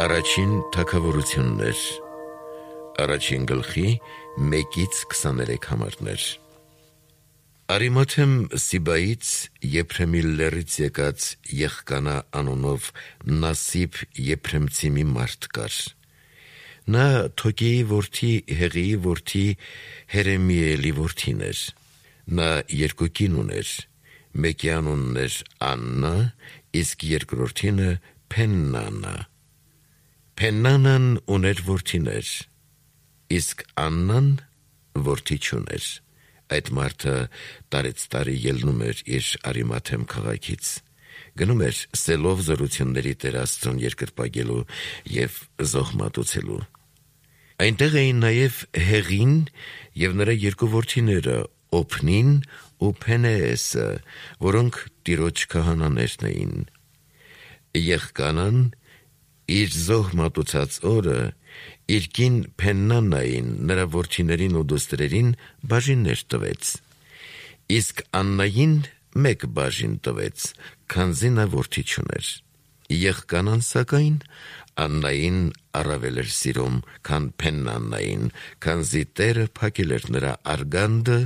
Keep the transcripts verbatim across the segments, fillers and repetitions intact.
Առաջին թագավորություններ, առաջին գլխի մեկից քսաներեք համարներ։ Արիմաթեմ Սիբայից Եփրեմի լեռից եկած Եղկանա անունով Նասիբ Եփրեմցի մի մարդ կար։ Նա Թոկեի որդի Հեղիի որդի Հերեմիելի որդին էր։ Նա երկու կին ուներ, մեկի անունն էր Աննա, իսկ երկրորդինը Փեննանա։ Փեննանան ուներ որդիներ, իսկ Աննան որդի չուներ։ Այդ մարդը տարեց տարի ելնում էր իր Արիմաթեմ քաղաքից, գնում էր սելով զորությունների Տեր Աստծուն երկրպագելու և զոհմատուցելու։ Այնտեղ էին նաև Հեղին և նրա երկու որդիները Օփնին ու Փենեեսը, որոնք Տիրոջ քահանաներն էին։ Եղկանան իր զոհմատուցած օրը իր կին Փեննանային նրա որդիներին ու դուստրերին բաժիններ տվեց, իսկ Աննային մեկ բաժին տվեց, քանզի նա որդի չուներ։ Եղկանան սակայն Աննային առավել էր սիրում, քան Փեննանային, քանզի Տերը փակել էր նրա արգանդը,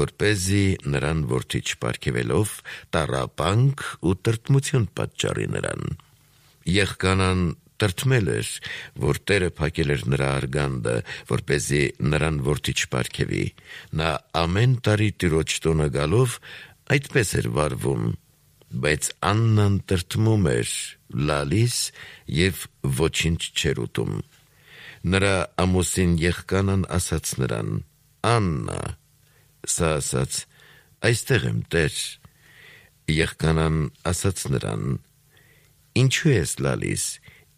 որպեսզի նրան որդի չպարգևելով տառապանք ու տրտմություն պատճառի նրան։ Եղկանան տրտմել էր, որ Տերը փակել էր նրա արգանդը, որպեսզի նրան որդի չպարգևի։ Նա ամեն տարի Տիրոջ տունը գալով այդպես էր վարվում, բայց Աննան տրտմում էր, լալիս և ոչինչ չէր ուտում։ Նրա ամուսին Եղկանան ասաց նրան. «Աննա», սա ասաց. «Այստեղ եմ, Տեր»։ Եղկանան ասաց նրան. «Ինչու ես լալիս,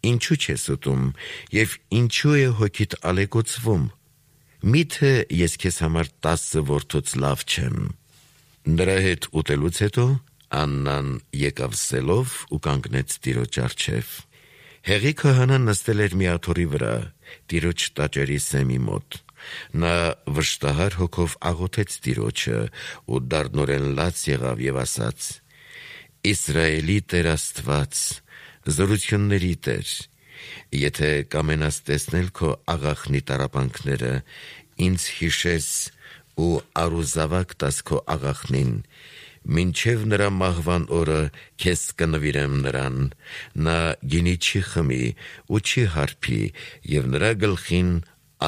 ինչու չես ուտում, և ինչու է հոգիդ ալեկոծվում, միթե ես քեզ համար տասը որդուց լավ չեմ»։ Նրա հետ ուտելուց հետո Աննան եկավ սելով ու կանգնեց Տիրոջ առջև։ Հեղի քահանան նստել էր մի աթոռի վրա, Տիրոջ տաճարի սեմի մոտ։ Նա վշտահար հոգով աղոթեց Տիրոջը ու դառնորեն լաց եղավ և ասաց. «Իսրայելի Տեր Աստված, զորությունների Տեր, եթե կամենաս տեսնել քո աղախնի տառապանքները, ինձ հիշես ու առուզավակ տաս քո աղախնին, մինչև նրա մահվան օրը քեզ կնվիրեմ նրան, նա գինի չի խմի ու չի հարբի և նրա գլխին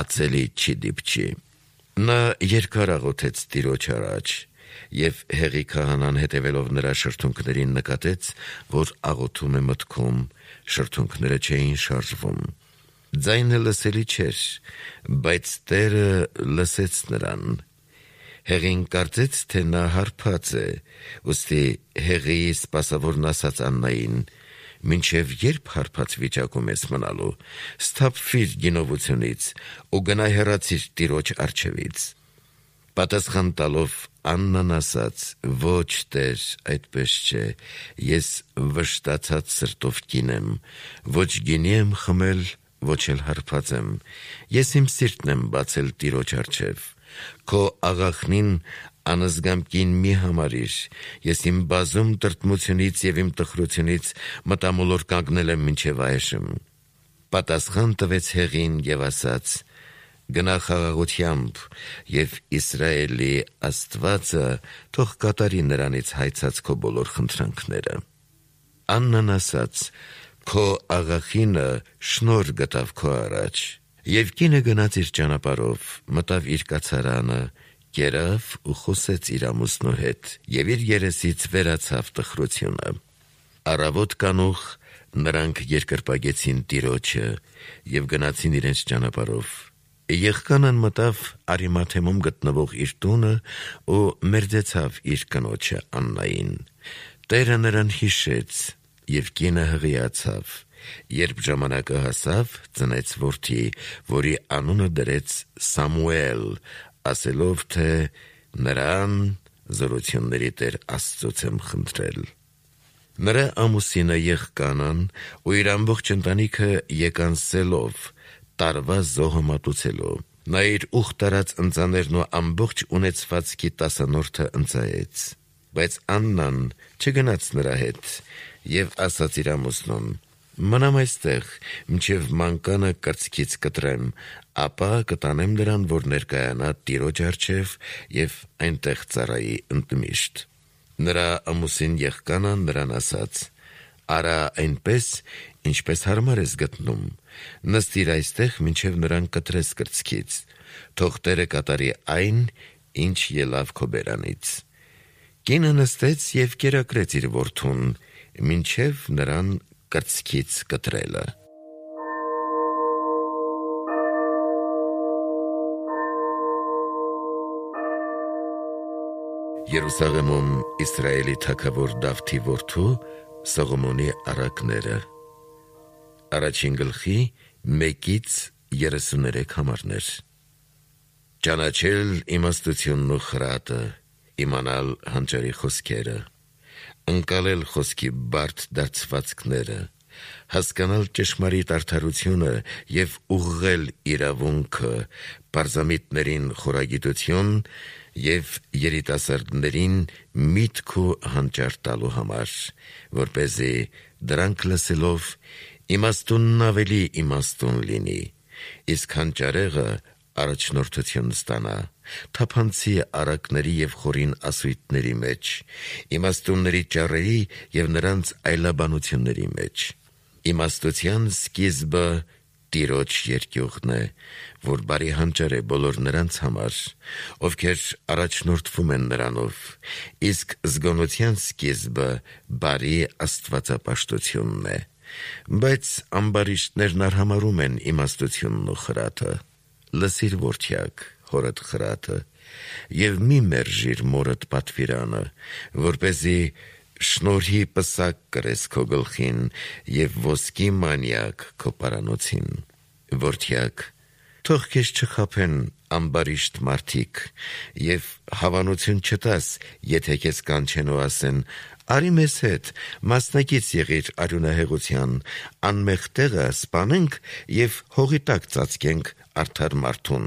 ածելի չի դիպչի»։ Նա երկար աղոթեց Տիրոջ առաջ, և Հեղի քահանան հետևելով նրա շրթունքներին նկատեց, որ աղոթում է մտքում, շրթունքները չէին շարժվում։ Ձայնը լսելի չէր, բայց Տերը լսեց նրան։ Հեղին կարծեց, թե նա հարբած է, ուստի Հեղիի սպասավորն ասաց Աննային. «Մինչև ե՞րբ հարբած վիճակում ես մնալու, սթափվիր գինովությունից ու գնա հեռացիր Տիրոջ առջևից»։ Պատասխան տալով Աննան ասաց. «Ոչ, Տեր, այդպես չէ, ես վշտացած սրտով կին եմ, ոչ գինի եմ խմել, ոչ էլ հարբած եմ, ես իմ սիրտն եմ բացել Տիրոջ առջև։ Քո աղախնին անզգամ կին մի համարիր, ես իմ բազում տրտմությունից և իմ տխրությունից մտամոլոր կանգնել եմ մինչև այժմ»։ Պատասխան տվեց Հեղին և ասաց. «Գնա խաղաղությամբ, և Իսրայելի Աստվածը թող կատարի նրանից հայցած քո բոլոր խնդրանքները»։ Աննան ասաց. «Քո աղախինը շնորհ գտավ քո առաջ»։ Եվ կինը գնաց իր ճանապարհով, մտավ իր կացարանը, կերավ ու խոսեց իր ամուսնու հետ, և իր երեսից վերացավ տխրությունը։ Առավոտ կանուխ նրանք երկրպագեցին Տիրոջը և գնացին իրենց ճանապարհով։ Եղկանան մտավ Արիմաթեմում գտնվող իր տունը ու մերձեցավ իր կնոջը Աննային։ Տերը նրան հիշեց, և կինը հղիացավ։ Երբ ժամանակը հասավ, ծնեց որդի, որի անունը դրեց Սամուել, ասելով, թե «Նրան զորությունների Տեր Աստծուց եմ խնդրել»։ Նրա ամուսինը Եղկանան ու իր ամբողջ ընտանիքը եկան սելով տարվա զոհը մատուցելու։ Նա իր ուխտ արած ընծաներն ու ամբողջ ունեցվածքի տասանորդը ընծայեց։ Բայց Աննան չգնաց նրա հետ և ասաց իր ամուսնուն. Մնամ այստեղ, մինչև մանկանը կրծքից կտրեմ, ապա կտանեմ նրան, որ ներկայանա Տիրոջ առջև և այնտեղ ծառայի ընդմիշտ։ Նրա ամուսին եղկանը նրան ասաց. «Արա այնպես, ինչպես հարմար ես գտնում, նստիր այստեղ, մինչև նրան կտրես կրծքից, թող Տերը կատարի այն, ինչ ելավ քո բերանից»։ Կինը նստեց և կերակրեց իր որդուն, մինչև նրան կրծքից կտրելը։ Երուսաղեմում Իսրայելի թագավոր Դավթի որդու Սողոմոնի առակները։ Առաջին գլխի մեկից երեսուներեք համարներ։ Ճանաչել իմաստությունն ու խրատը, իմանալ հանճարի խոսքերը, ընկալել խոսքի բարդ դարձվածքները, հասկանալ ճշմարիտ արդարությունը և ուղղել իրավունքը, պարզամիտներին խորագիտություն և երիտասարդներին միտք ու հանճար տալու համար, որպեսզի դրանք լսելով իմաստունն ավելի իմաստուն լինի, իսկ հանճարեղը առաջնորդություն ստանա, թափանցի առակների և խորին ասույթների մեջ, իմաստունների ճառերի և նրանց այլաբանությունների մեջ։ Իմաստության սկիզբը Տիրոջ երկյուղն է, որ բարի հանճար է բոլոր նրանց համար, ովքեր առաջնորդվում են նրանով, իսկ զգոնության սկիզբը բարի աստվածապաշտությունն է, բայց ամբարիշտներն արհամարհում են իմաստությունն ու խրատը։ Լսիր, որդյակ, հորդ խրատը, և մի մերժիր մորդ պատվիրանը, որպեսզի շնորհի պսակ կրես քո գլխին և ոսկի մանյակ քո պարանոցին։ Որդյակ, թող քեզ չխաբեն ամբարիշտ մարդիկ և հավանություն չտաս, եթե քեզ կանչեն ու ասեն. «Արի մեզ հետ, մասնակից եղիր արյունահեղության, անմեղ տեղը սպանենք և հողի տակ ծածկենք արդար մարդուն,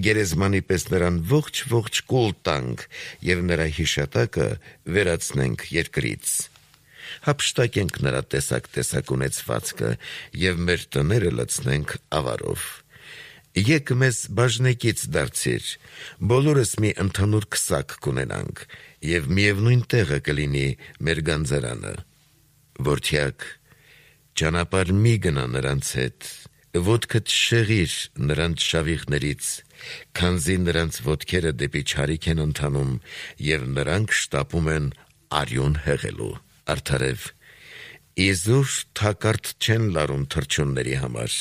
գերեզմանի պես նրան ողջ-ողջ կուլ տանք և նրա հիշատակը վերացնենք երկրից։ Հափշտակենք նրա տեսակ-տեսակ ունեցվածքը և մեր տները լցնենք ավարով։ Եկ մեզ բաժնեկից դարձիր, բոլորս մի ընդհանուր քսակ կունենանք, և միևնույն տեղը կլինի մեր գանձարանը։ Որդյակ, ճանապարհ մի գնա նրանց հետ, ոտքդ շեղիր նրանց շավիղներից, քանզի նրանց ոտքերը դեպի չարիք են ընթանում, և նրանք շտապում են արյուն հեղելու։ Արդարև, իզուր թակարդ չեն լարում թռչունների համար,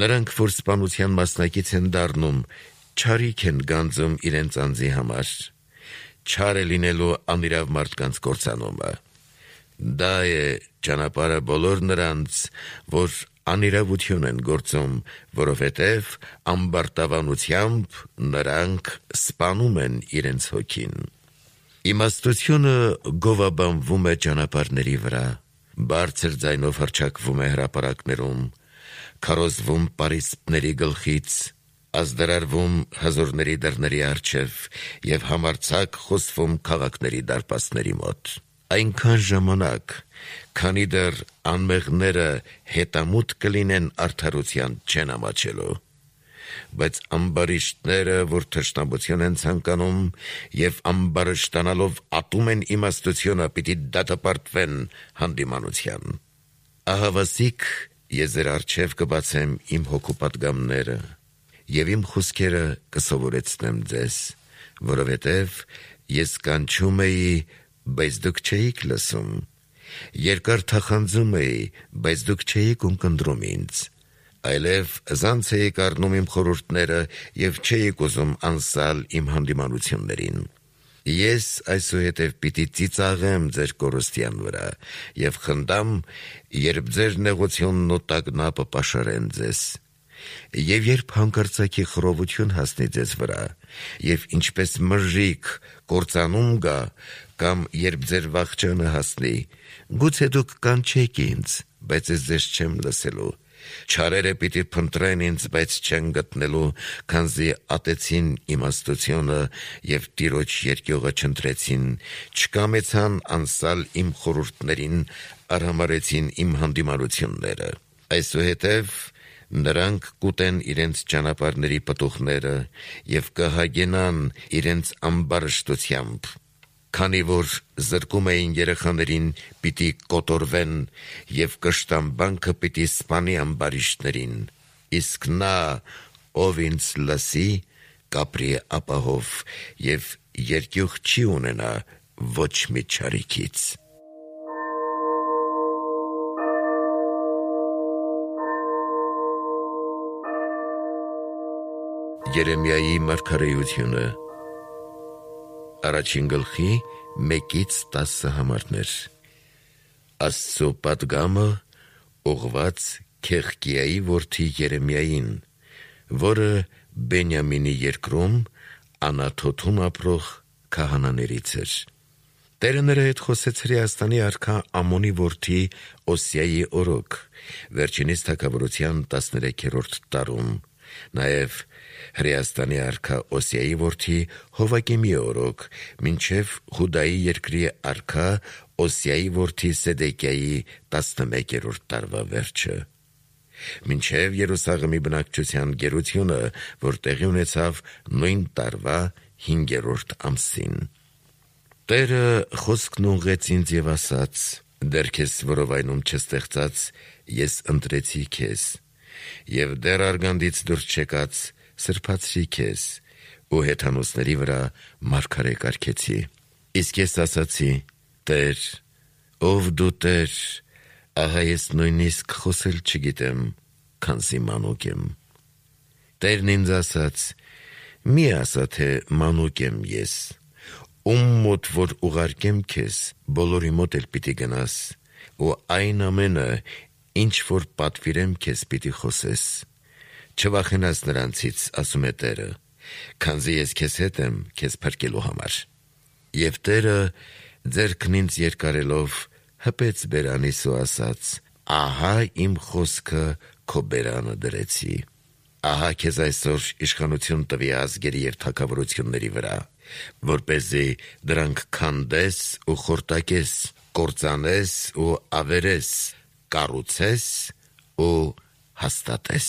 նրանք, որ սպանության մասնակից են դառնում, չարիք են գանձում իրենց անձի համար։ Չար է լինելու անիրավ մարդկանց կործանումը։ Դա է ճանապարհը բոլոր նրանց, որ անիրավություն են գործում, որովհետև ամբարտավանությամբ նրանք սպանում են իրենց հոգին։ Իմաստությունը գովաբանվում է ճանապարհների վրա, բարձր ձայնով հռչակվում է հրապարակներում, քարոզվում պարիսպների գլխից, ազդարարվում հզորների դռների առջև և համարձակ խոսվում քաղաքների դարպասների մոտ։ Այնքան ժամանակ, քանի դեռ անմեղները հետամուտ կլինեն արդարության չեն ամաչելու։ Բայց ամբարիշտները, որ թշնամություն են ցանկանում և ամբարշտանալով ատում են իմաստությունը, պիտի դատապարտվեն հանդիմանության։ Ահավասիկ ես ձեր առջև կբացեմ իմ հոգու պատգամները և իմ խոսքերը կսովորեցնեմ ձեզ, որովհետև ես կանչում էի, բայց դուք չէիք լսում, երկար թախանձում էի, բայց դուք չէիք ունկնդրում ինձ, այլև զանց էիք առնում իմ խորհուրդները և չէիք ուզում անսալ իմ հանդիմանություններին։ Ես այսուհետև պիտի ծիծաղեմ ձեր կորստյան վրա և խնդամ, երբ ձեր նեղությունն ու տագնապը պաշարեն ձեզ։ Եվ երբ հանկարծակի խռովություն հասնի ձեզ վրա, և ինչպես մրրիկ կործանում գա, կամ երբ ձեր վախճանը հասնի, գուցե դուք կանչեք ինձ, բայց ես ձեզ չեմ լսելու, Չարերը պիտի փնտրեն ինձ, բայց չեն գտնելու, քանզի ատեցին իմաստությունը և Տիրոջ երկյուղը չընտրեցին, չկամեցան անսալ իմ խորհուրդներին, արհամարհեցին իմ հանդիմանությունները։ Այսուհետև նրանք կուտեն իրենց ճանապարհների պտուղները և կհագենան իրենց ամբարշտությամբ, քանի որ զրկում էին երեխաներին, պիտի կոտորվեն, և կշտամբանքը պիտի սպանի ամբարիշտներին, իսկ նա, ով ինձ լսի, կապրի ապահով և երկյուղ չի ունենա ոչ մի չարիքից։ Երեմիայի մարգարեությունը Առաջին գլխի մեկից տասը համարներ։ Աստծո պատգամը ուղղված Քեղկիայի որդի Երեմիային, որը Բենյամինի երկրում Անաթոթում ապրող քահանաներից էր։ Տերը նրա հետ խոսեց Հրեաստանի արքա Ամոնի որդի Օսիայի օրոք, վերջինիս թագավորության տասներեքերորդ տարում, նաև Հրեաստանի արքա Օսիայի որդի Հովակիմի օրոք, մինչև Հուդայի երկրի արքա Օսիայի որդի Սեդեկիայի տասնմեկերորդ տարվա վերջը, մինչև Երուսաղեմի բնակչության գերությունը, որ տեղի ունեցավ նույն տարվա հինգերորդ ամսին։ Տերը խոսքն ուղղեց ինձ և ասաց. «Դեռ քեզ որովայնում չստեղծած, ես ընտրեցի քեզ, և դեռ արգանդից դուրս չեկած, սրբացրի քեզ, ու հեթանոսների վրա մարգարե կարգեցի։ Իսկ ես ասացի. Տեր, ով դու Տեր, ահա ես նույնիսկ խոսել չգիտեմ, քանզի մանուկ եմ։ Տերն ինձ ասաց. մի ասա, թե մանուկ եմ ես, ում մոտ որ ուղարկեմ քեզ, բոլորի մոտ էլ պիտի գնաս, ու այն ամենը, ինչ որ պատվիրեմ քեզ, պիտի խոսես։ Չվախենաս նրանցից, ասում է Տերը, քանզի ես քեզ հետ եմ քեզ փրկելու համար։ Եվ Տերը ձեռքն ինձ երկարելով հպեց բերանիս ու ասաց. ահա իմ խոսքը քո բերանը դրեցի։ Ահա քեզ այսօր իշխանություն տվի ազգերի և թագավորությունների վրա, որպեսզի դրանք քանդես ու խորտակես, կործանես ու ավերես, կառուցես ու հաստատես։